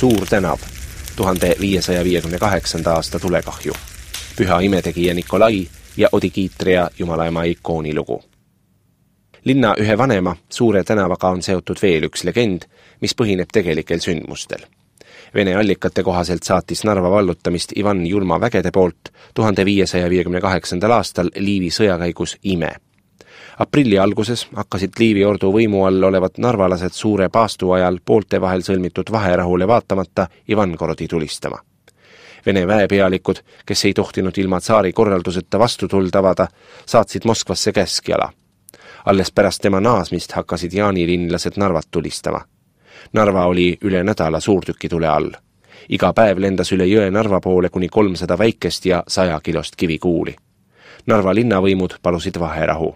Suur tänav, 1558. aasta tulekahju, Püha imetegija Nikolai ja Odikiitria Jumalaema ikoonilugu. Linna ühe vanema, Suure tänavaga on seotud veel üks legend, mis põhineb tegelikel sündmustel. Vene allikate kohaselt saatis Narva vallutamist Ivan Julma vägede poolt 1558. aastal Liivi sõjakäigus Ime. Aprilli alguses hakkasid Liivi ordu võimu all olevad narvalased suure paastu ajal poolte vahel sõlmitud vaherahule vaatamata Ivangorodi tulistama. Vene väepealikud, kes ei tohtinud ilma tsaari korralduseta vastutuld avada, saatsid Moskvasse käskjala. Alles pärast tema naasmist hakkasid jaanilinlased Narvat tulistama. Narva oli üle nädala suurtükitule all. Iga päev lendas üle jõe Narva poole kuni 300 väikest ja 100 kilost kivikuuli. Narva linnavõimud palusid vaherahu.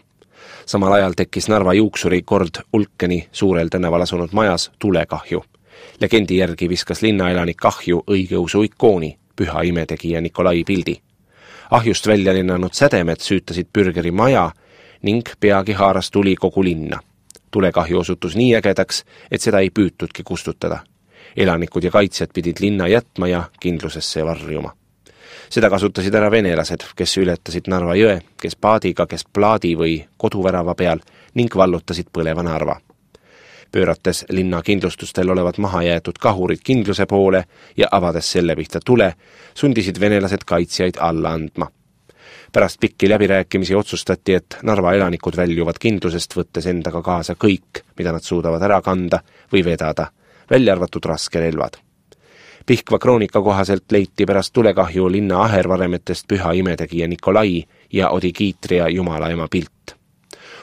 Samal ajal tekkis Narva juuksuri kord Ulkeni Suurel tänaval asunud majas tulekahju. Legendi järgi viskas linnaelanik ahju õigeusu ikooni, Püha imetegija Nikolai pildi. Ahjust välja lennanud sädemed süütasid Bürgeri maja ning peagi haaras tuli kogu linna. Tulekahju osutus nii ägedaks, et seda ei püütudki kustutada. Elanikud ja kaitsjad pidid linna jätma ja kindlusesse varjuma. Seda kasutasid ära venelased, kes ületasid Narva jõe, kes paadiga, kes plaadi või koduvärava peal ning vallutasid põleva Narva. Pöörates linna kindlustustel olevad mahajäetud kahurid kindluse poole ja avades selle pihta tule, sundisid venelased kaitsjaid alla andma. Pärast pikki läbirääkimisi otsustati, et Narva elanikud väljuvad kindlusest, võttes endaga kaasa kõik, mida nad suudavad ära kanda või vedada, välja arvatud raskerelvad. Pihkva kroonika kohaselt leiti pärast tulekahju linna ahervaremetest Püha imetegija Nikolai ja Odikiitria Jumalaema pilt.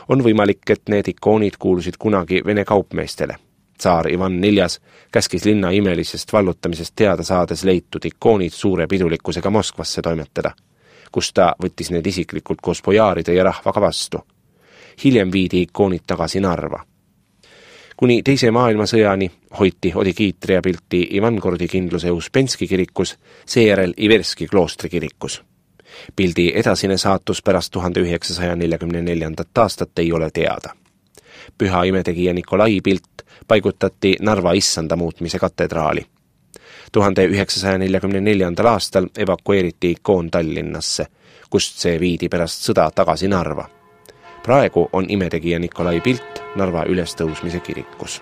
On võimalik, et need ikoonid kuulusid kunagi Vene kaupmeestele. Tsaar Ivan IV käskis linna imelisest vallutamisest teada saades leitud ikoonid suure pidulikkusega Moskvasse toimetada, kus ta võttis need isiklikult koos pojaaride ja rahvaga vastu. Hiljem viidi ikoonid tagasi Narva. Kuni teise maailmasõjani hoiti Odikiitria pilti Ivangorodi kindluse Uspenski kirikus, seejärel Iverski kloostri kirikus. Pildi edasine saatus pärast 1944. aastat ei ole teada. Püha imetegija Nikolai pilt paigutati Narva issanda muutmise katedraali. 1944. aastal evakueeriti ikoon Tallinnasse, kust see viidi pärast sõda tagasi Narva. Praegu on imetegija Nikolai pilt Narva ülestõusmise kirikus.